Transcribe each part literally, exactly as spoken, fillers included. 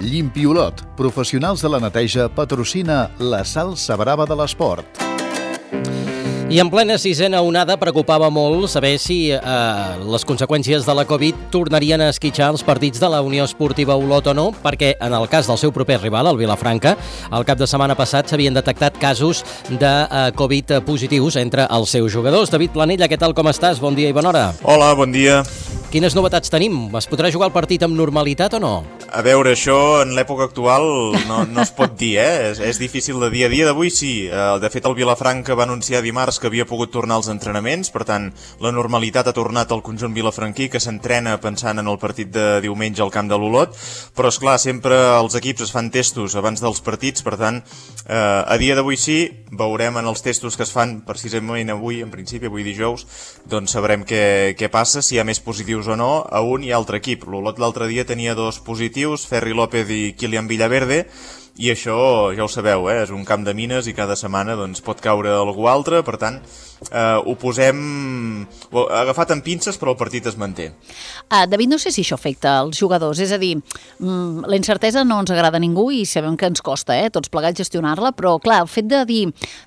Llimpiolot, professionals de la neteja, patrocina la salsa brava de l'esport. I en plena sisena onada preocupava molt saber si eh, les conseqüències de la Covid tornarien a esquitxar els partits de la Unió Esportiva Olot o no, perquè en el cas del seu proper rival, el Vilafranca, el cap de setmana passat s'havien detectat casos de eh, Covid positius entre els seus jugadors. David Planella, què tal, com estàs? Bon dia i bona hora. Hola, bon dia. Quines novetats tenim? Es podrà jugar el partit amb normalitat o no? A veure, això en l'època actual no, no es pot dir, eh? És, és difícil de dir. A dia d'avui sí. De fet, el Vilafranca va anunciar dimarts que havia pogut tornar als entrenaments, per tant, la normalitat ha tornat al conjunt vilafranquí, que s'entrena pensant en el partit de diumenge al camp de l'Olot, però, esclar, sempre els equips es fan testos abans dels partits, per tant, eh, a dia d'avui sí, veurem en els testos que es fan precisament avui, en principi, avui dijous, doncs sabrem què, què passa, si hi ha més positius o no, a un i altre equip. L'Olot l'altre dia tenia dos positius, Ferri López i Kilian Villaverde, i això ja ho sabeu, eh? És un camp de mines i cada setmana doncs, pot caure algú altre, per tant, eh, ho posem ho, agafat amb pinces, però el partit es manté. Uh, David, no sé si això afecta els jugadors, és a dir, mm, la incertesa no ens agrada a ningú i sabem que ens costa, eh, tots plegats gestionar-la, però clar, el fet de dir,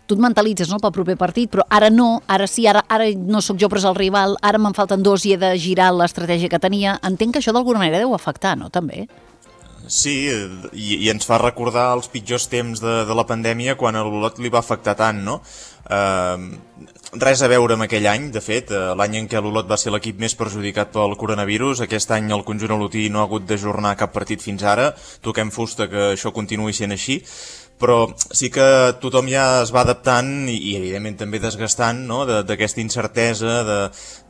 tu et mentalitzes, no?, pel proper partit, però ara no, ara sí, ara, ara no sóc jo però és el rival, ara me'n falten dos i he de girar l'estratègia que tenia, entenc que això d'alguna manera deu afectar, no?, també? Sí, i, i ens fa recordar els pitjors temps de, de la pandèmia quan a l'Olot li va afectar tant, no? Uh, res a veure amb aquell any, de fet, uh, l'any en què l'Olot va ser l'equip més perjudicat pel coronavirus. Aquest any el conjunt olotí no ha hagut d'ajornar cap partit fins ara, toquem fusta que això continuï sent així, però sí que tothom ja es va adaptant i, i evidentment també desgastant, no?, d'aquesta incertesa, de,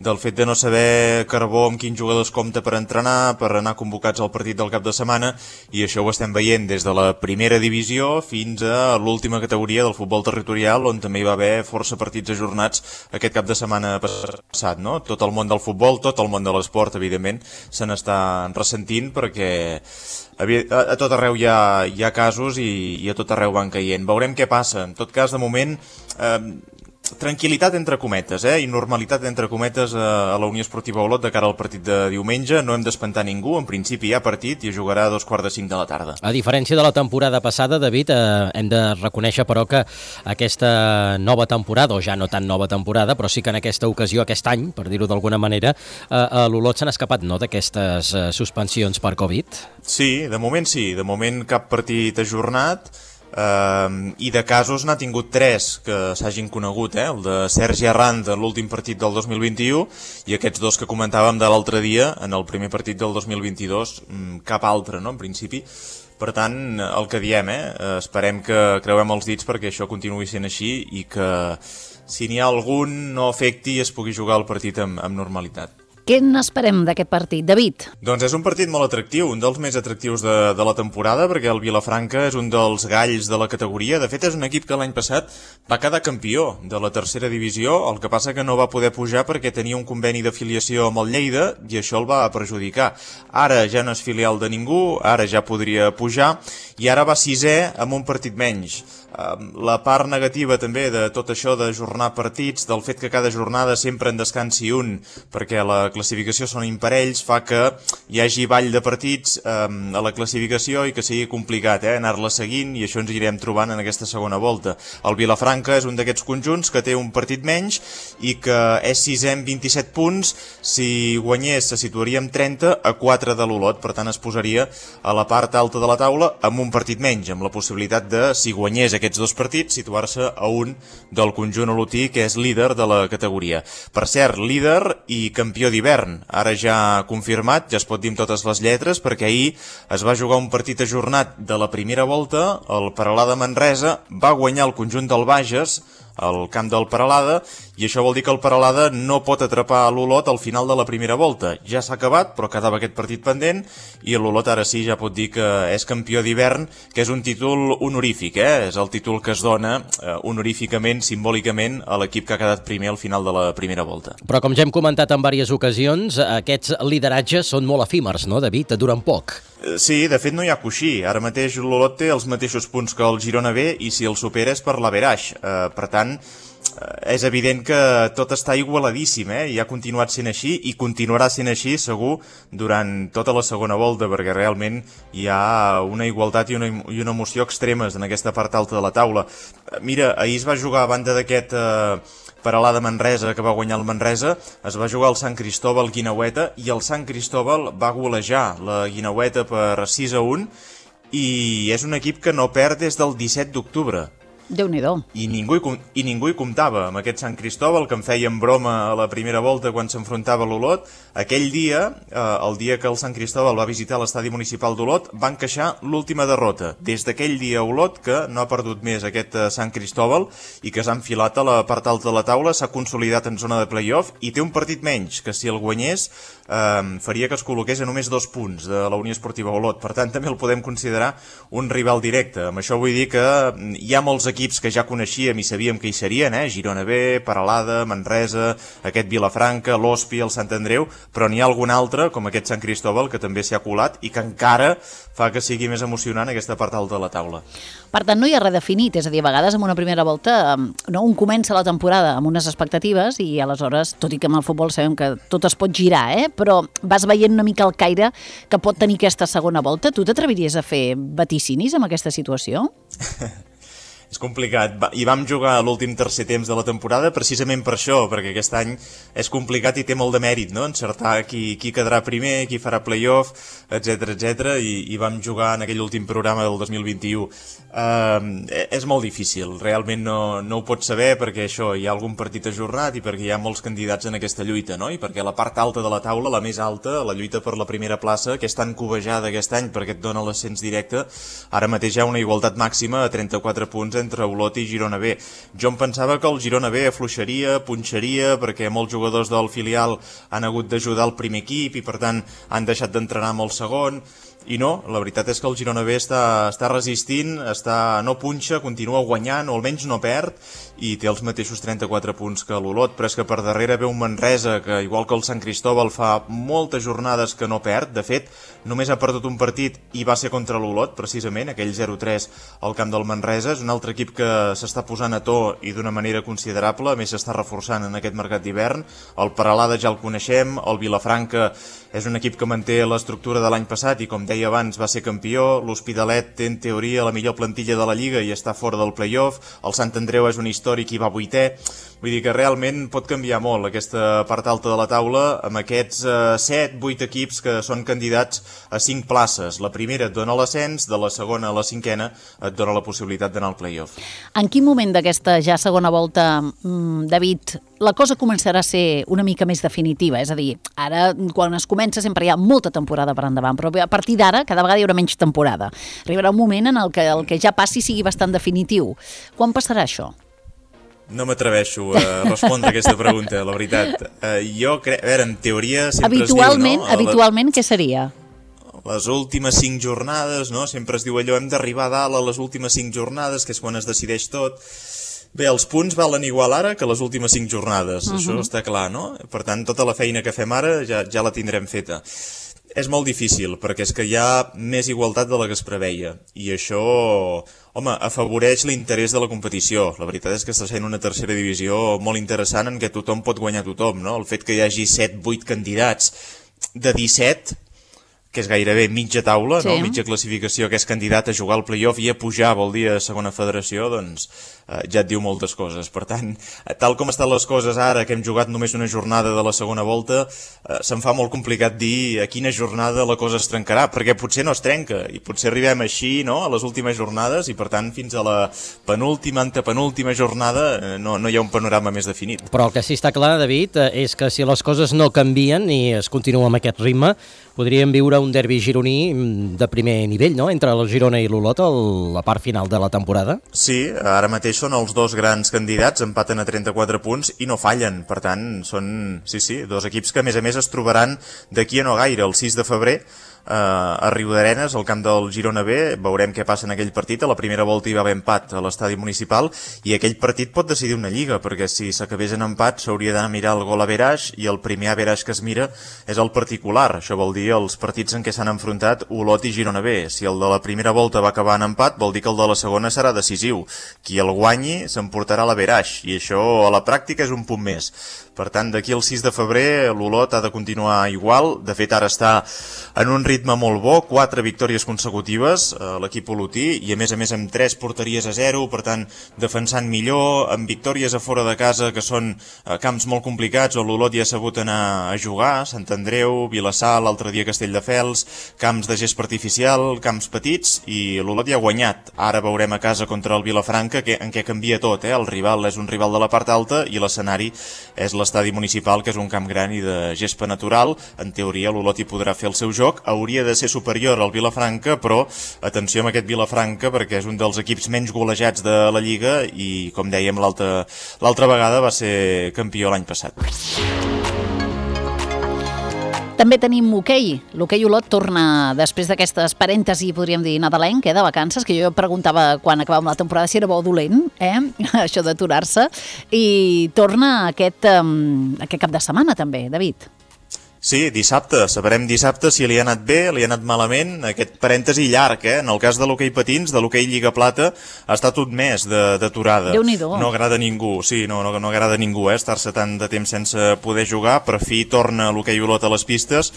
del fet de no saber Carbó amb quins jugadors compta per entrenar, per anar convocats al partit del cap de setmana, i això ho estem veient des de la primera divisió fins a l'última categoria del futbol territorial, on també hi va haver força partits ajornats aquest cap de setmana passat, no? Tot el món del futbol, tot el món de l'esport, evidentment, se n'està ressentint perquè a, a tot arreu hi ha, hi ha casos i, i a tot arreu van caient. Veurem què passa. En tot cas, de moment, eh, tranquil·litat entre cometes, eh, i normalitat entre cometes a, a la Unió Esportiva Olot de cara al partit de diumenge. No hem d'espantar ningú, en principi hi ha partit i es jugarà a dos quarts de cinc de la tarda. A diferència de la temporada passada, David, eh, hem de reconèixer però que aquesta nova temporada, o ja no tan nova temporada, però sí que en aquesta ocasió, aquest any, per dir-ho d'alguna manera, eh, a l'Olot s'han escapat, no?, d'aquestes eh, suspensions per Covid? Sí, de moment sí, de moment cap partit ajornat. Uh, i de casos n'ha tingut tres que s'hagin conegut, eh? El de Sergi Arrand en l'últim partit del dos mil vint-i-u i aquests dos que comentàvem de l'altre dia en el primer partit del dos mil vint-i-dos, cap altre, no?, en principi. Per tant, el que diem, eh? Esperem que creuem els dits perquè això continuï sent així i que si n'hi ha algun no afecti i es pugui jugar el partit amb, amb normalitat. Què n'esperem d'aquest partit, David? Doncs és un partit molt atractiu, un dels més atractius de, de la temporada, perquè el Vilafranca és un dels galls de la categoria. De fet, és un equip que l'any passat va quedar campió de la tercera divisió, el que passa que no va poder pujar perquè tenia un conveni d'afiliació amb el Lleida i això el va perjudicar. Ara ja no és filial de ningú, ara ja podria pujar i ara va sisè amb un partit menys. La part negativa també de tot això d'ajornar partits, del fet que cada jornada sempre en descansi un, perquè la classificació són imparells, fa que hi hagi ball de partits eh, a la classificació i que sigui complicat eh, anar-la seguint, i això ens anirem trobant en aquesta segona volta. El Vilafranca és un d'aquests conjunts que té un partit menys i que és sisè amb vint-i-set punts. Si guanyés se situaria amb trenta a quatre de l'Olot, per tant es posaria a la part alta de la taula amb un partit menys, amb la possibilitat de, si guanyés aquests dos partits, situar-se a un del conjunt olotí, que és líder de la categoria. Per cert, líder i campió d'hivern, ara ja confirmat, ja es pot dir amb totes les lletres, perquè ahir es va jugar un partit ajornat de la primera volta, el Peralada Manresa va guanyar el conjunt del Bages al camp del Peralada, i això vol dir que el Peralada no pot atrapar a l'Olot al final de la primera volta. Ja s'ha acabat, però quedava aquest partit pendent, i l'Olot ara sí ja pot dir que és campió d'hivern, que és un títol honorífic, eh? És el títol que es dona eh, honoríficament, simbòlicament, a l'equip que ha quedat primer al final de la primera volta. Però com ja hem comentat en diverses ocasions, aquests lideratges són molt efímers, no, David? Duren poc. Sí, de fet no hi ha coixí. Ara mateix l'Olot té els mateixos punts que el Girona B i si el supera és per l'averaix. Eh, per tant, tant, és evident que tot està igualadíssim, eh? I ha continuat sent així i continuarà sent així, segur, durant tota la segona volta, perquè realment hi ha una igualtat i una, i una emoció extremes en aquesta part alta de la taula. Mira, ahir es va jugar a banda d'aquest eh, Peralada Manresa, que va guanyar el Manresa, es va jugar el Sant Cristóbal Guineueta i el Sant Cristóbal va golejar la Guineueta per sis a un i és un equip que no perd des del disset d'octubre. Déu-n'hi-do. I ningú, hi, I ningú hi comptava amb aquest Sant Cristóbal, que em feien broma a la primera volta quan s'enfrontava a l'Olot. Aquell dia, eh, el dia que el Sant Cristóbal va visitar l'estadi municipal d'Olot, van queixar l'última derrota. Des d'aquell dia Olot, que no ha perdut més aquest eh, Sant Cristóbal i que s'ha enfilat a la part alta de la taula, s'ha consolidat en zona de play-off i té un partit menys, que si el guanyés eh, faria que es col·loqués a només dos punts de la Unió Esportiva Olot. Per tant, també el podem considerar un rival directe. Amb això vull dir que hi ha molts equips equips que ja coneixíem i sabíem que hi serien, eh? Girona B, Peralada, Manresa, aquest Vilafranca, l'Hospi, el Sant Andreu, però n'hi ha algun altre, com aquest Sant Cristóbal, que també s'hi ha colat i que encara fa que sigui més emocionant aquesta part alta de la taula. Per tant, no hi ha res definit, és a dir, a vegades en una primera volta no, un comença la temporada amb unes expectatives i aleshores, tot i que amb el futbol sabem que tot es pot girar, eh? Però vas veient una mica el caire que pot tenir aquesta segona volta. Tu t'atreviries a fer vaticinis amb aquesta situació? És complicat, i vam jugar l'últim tercer temps de la temporada precisament per això, perquè aquest any és complicat i té molt de mèrit, no? Encertar qui, qui quedarà primer, qui farà play-off, etcètera, etcètera, i, i vam jugar en aquell últim programa del dos mil vint-i-u. Uh, és molt difícil, realment no, no ho pots saber perquè això, hi ha algun partit ajornat i perquè hi ha molts candidats en aquesta lluita, no? I perquè la part alta de la taula, la més alta, la lluita per la primera plaça, que és tan covejada aquest any perquè et dona l'ascens directe, ara mateix hi ha una igualtat màxima a trenta-quatre punts entre Olot i Girona B. Jo em pensava que el Girona B afluixaria, punxaria, perquè molts jugadors del filial han hagut d'ajudar el primer equip i per tant han deixat d'entrenar amb el segon. I no, la veritat és que el Girona B està, està resistint, està, no punxa, continua guanyant, o almenys no perd, i té els mateixos trenta-quatre punts que l'Olot, però és que per darrere ve un Manresa que, igual que el Sant Cristóbal, fa moltes jornades que no perd. De fet, només ha perdut un partit i va ser contra l'Olot, precisament, aquell zero tres al camp del Manresa. És un altre equip que s'està posant a to i d'una manera considerable, a més s'està reforçant en aquest mercat d'hivern. El Peralada ja el coneixem, el Vilafranca és un equip que manté l'estructura de l'any passat i, com deia abans, va ser campió. L'Hospitalet té, en teoria, la millor plantilla de la Lliga i està fora del play-off. El Sant Andreu és un històric i va vuitè. Vull dir que realment pot canviar molt aquesta part alta de la taula amb aquests eh, set vuit equips que són candidats a cinc places. La primera et dona l'ascens, de la segona a la cinquena et dona la possibilitat d'anar al play-off. En quin moment d'aquesta ja segona volta, David, la cosa començarà a ser una mica més definitiva? És a dir, ara quan es comença sempre hi ha molta temporada per endavant, però a partir d'ara cada vegada hi haurà menys temporada. Arribarà un moment en el que el que ja passi sigui bastant definitiu. Quan passarà això? No m'atreveixo a respondre a aquesta pregunta, la veritat. Uh, jo crec... A veure, en teoria sempre habitualment, es diu, no? Habitualment, què seria? Les últimes cinc jornades, no? Sempre es diu allò, hem d'arribar a dalt a les últimes cinc jornades, que és quan es decideix tot. Bé, els punts valen igual ara que les últimes cinc jornades, uh-huh. Això està clar, no? Per tant, tota la feina que fem ara ja, ja la tindrem feta. És molt difícil, perquè és que hi ha més igualtat de la que es preveia, i això, home, afavoreix l'interès de la competició. La veritat és que està sent una tercera divisió molt interessant en què tothom pot guanyar tothom, no? El fet que hi hagi set vuit candidats de disset, que és gairebé mitja taula, sí. No? Mitja classificació, que és candidat a jugar al play-off i a pujar, vol dir a segona federació, doncs eh, ja et diu moltes coses. Per tant, tal com estan les coses ara, que hem jugat només una jornada de la segona volta, eh, se'm fa molt complicat dir a quina jornada la cosa es trencarà, perquè potser no es trenca, i potser arribem així, no?, a les últimes jornades, i per tant fins a la penúltima, antepenúltima jornada eh, no, no hi ha un panorama més definit. Però el que sí està clar, David, és que si les coses no canvien i es continua amb aquest ritme, podríem viure un derbi gironí de primer nivell, no?, entre el Girona i l'Olot a la part final de la temporada. Sí, ara mateix són els dos grans candidats, empaten a trenta-quatre punts i no fallen. Per tant, són, sí, sí, dos equips que a més a més es trobaran d'aquí a no gaire, el sis de febrer, a Riudarenes, al camp del Girona B. Veurem què passa en aquell partit. A la primera volta hi va haver empat a l'estadi municipal i aquell partit pot decidir una lliga, perquè si s'acabés en empat s'hauria d'anar a mirar el gol average i el primer average que es mira és el particular. Això vol dir els partits en què s'han enfrontat Olot i Girona B. Si el de la primera volta va acabar en empat, vol dir que el de la segona serà decisiu. Qui el guanyi s'emportarà l'average i això a la pràctica és un punt més. Per tant, d'aquí al sis de febrer l'Olot ha de continuar igual. De fet, ara està en un ritme molt bo, quatre victòries consecutives a l'equip olotí i a més a més amb tres porteries a zero, per tant, defensant millor, amb victòries a fora de casa que són camps molt complicats on l'Olot ja ha sabut anar a jugar, Sant Andreu, Vilassar, l'altre dia Castelldefels, camps de gespa artificial, camps petits, i l'Olot ja ha guanyat. Ara veurem a casa contra el Vilafranca que, en què canvia tot, eh? El rival és un rival de la part alta i l'escenari és l'estadi municipal, que és un camp gran i de gespa natural. En teoria l'Olot hi podrà fer el seu joc, hauria de ser superior al Vilafranca, però atenció amb aquest Vilafranca perquè és un dels equips menys golejats de la Lliga i, com dèiem, l'altra l'altra vegada va ser campió l'any passat. També tenim hoquei. L'hoquei Olot torna després d'aquestes parèntesi, podríem dir, nadalenc, eh, de vacances, que jo preguntava quan acabàvem la temporada si era bo o dolent, eh, això d'aturar-se, i torna aquest, um, aquest cap de setmana també, David. Sí, dissabte. Sabrem dissabte si li ha anat bé, li ha anat malament. Aquest parèntesi llarg, eh? En el cas de l'hoquei patins, de l'hoquei Lliga Plata, ha estat un mes d'aturada. Déu-n'hi-do. No agrada a ningú, sí, no, no, no agrada a ningú, eh? Estar-se tant de temps sense poder jugar. Per fi torna l'hoquei Olot a les pistes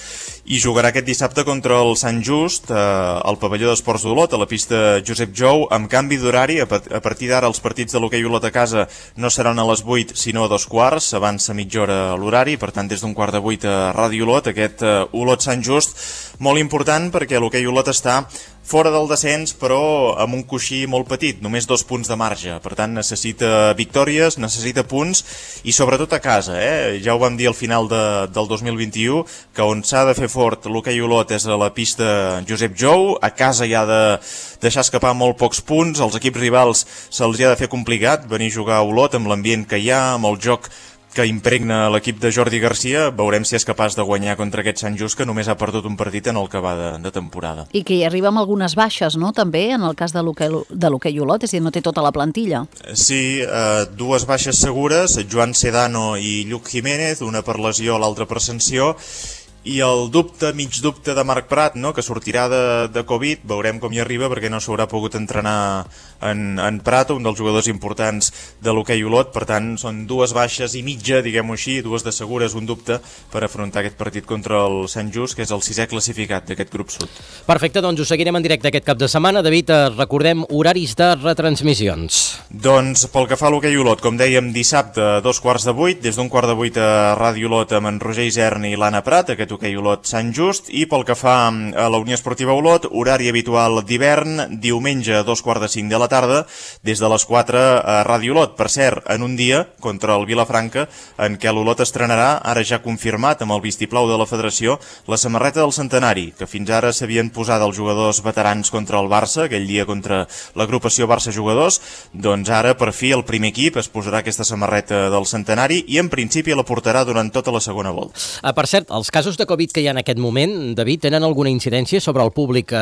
i jugarà aquest dissabte contra el Sant Just eh, al pavelló d'esports d'Olot, a la pista Josep Jou, amb canvi d'horari. A partir d'ara els partits de l'hoquei Olot a casa no seran a les vuit, sinó a dos quarts, avança mitja hora l'horari, per tant des d'un quart de vuit a Ràdio Olot, aquest uh, Olot Sant Just, molt important perquè l'hoquei Olot està fora del descens, però amb un coixí molt petit, només dos punts de marge. Per tant, necessita victòries, necessita punts i sobretot a casa. Eh? Ja ho vam dir al final de, del dos mil vint-i-u, que on s'ha de fer fort l'hoquei Olot és a la pista Josep Jou. A casa hi ha de deixar escapar molt pocs punts, als equips rivals se'ls hi ha de fer complicat venir a jugar a Olot amb l'ambient que hi ha, amb el joc que impregna l'equip de Jordi Garcia. Veurem si és capaç de guanyar contra aquest Sant Just, que només ha perdut un partit en el que va de, de temporada. I que hi arriba amb algunes baixes, no?, també, en el cas de l'hoquei Olot, és a dir, no té tota la plantilla. Sí, eh, dues baixes segures, Joan Sedano i Lluc Jiménez, una per lesió, l'altra per sanció, i el dubte, mig dubte de Marc Prat, no?, que sortirà de, de Covid. Veurem com hi arriba perquè no s'haurà pogut entrenar en, en Prat, un dels jugadors importants de l'hoquei Olot. Per tant, són dues baixes i mitja, diguem-ho així, dues de segures, un dubte per afrontar aquest partit contra el Sant Just, que és el sisè classificat d'aquest grup sud. Perfecte, doncs ho seguirem en directe aquest cap de setmana. David, recordem horaris de retransmissions. Doncs pel que fa a l'hoquei Olot, com dèiem, dissabte a dos quarts de vuit, des d'un quart de vuit a Ràdio Olot amb en Roger Isern i l'Anna Prat, aquest hoquei Olot Sant Just. I pel que fa a la Unió Esportiva Olot, horari habitual d'hivern, diumenge a dos quarts de cinc de la tarda, des de les quatre a Ràdio Olot. Per cert, en un dia contra el Vilafranca, en què l'Olot estrenarà, ara ja confirmat amb el vistiplau de la Federació, la samarreta del centenari, que fins ara s'havien posat els jugadors veterans contra el Barça, aquell dia contra l'agrupació Barça Jugadors. Doncs ara, per fi, el primer equip es posarà aquesta samarreta del centenari i en principi la portarà durant tota la segona volta. Ah, per cert, els casos de Covid que hi ha en aquest moment, David, tenen alguna incidència sobre el públic que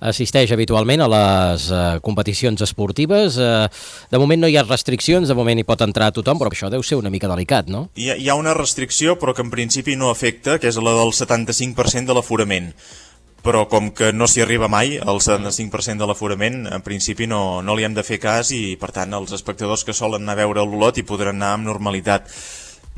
assisteix habitualment a les eh, competicions esportives? Eh, de moment no hi ha restriccions, de moment hi pot entrar tothom, però això deu ser una mica delicat, no? Hi ha, hi ha una restricció, però que en principi no afecta, que és la del setanta-cinc per cent de l'aforament. Però com que no s'hi arriba mai, el setanta-cinc per cent de l'aforament, en principi no, no li hem de fer cas i, per tant, els espectadors que solen anar a veure l'Olot hi podran anar amb normalitat.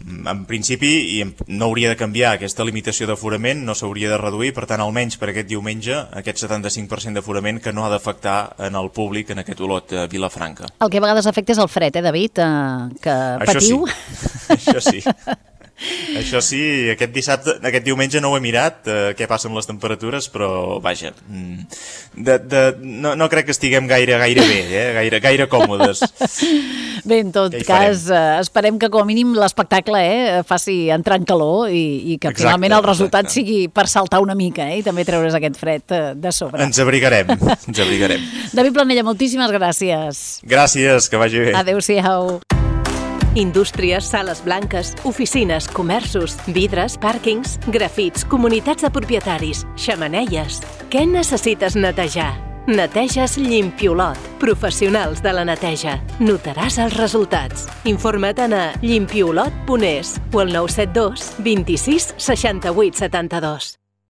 En principi no hauria de canviar aquesta limitació d'aforament, no s'hauria de reduir, per tant almenys per aquest diumenge aquest setanta-cinc per cent d'aforament que no ha d'afectar en el públic en aquest Olot a Vilafranca. El que a vegades afecta és el fred, eh, David, eh, que patiu. Això sí, això sí. Això sí, aquest dissabte, aquest diumenge no ho he mirat, eh, què passa amb les temperatures, però vaja, de, de, no, no crec que estiguem gaire, gaire bé, eh, gaire, gaire còmodes. Bé, en tot cas, eh, esperem que com a mínim l'espectacle eh, faci entrar en calor i, i que exacte, finalment el resultat exacte. sigui per saltar una mica eh, i també treure's aquest fred eh, de sobre. Ens abrigarem, ens abrigarem. David Planella, moltíssimes gràcies. Gràcies, que vagi bé. Adéu-siau. Indústries, sales blanques, oficines, comerços, vidres, pàrquings, grafits, comunitats de propietaris, xemeneies. Què necessites netejar? Neteges Limpiolot. Professionals de la neteja. Notaràs els resultats. Informa't a limpiolot punt es o al nou set dos, vint-i-sis, seixanta-vuit, setanta-dos.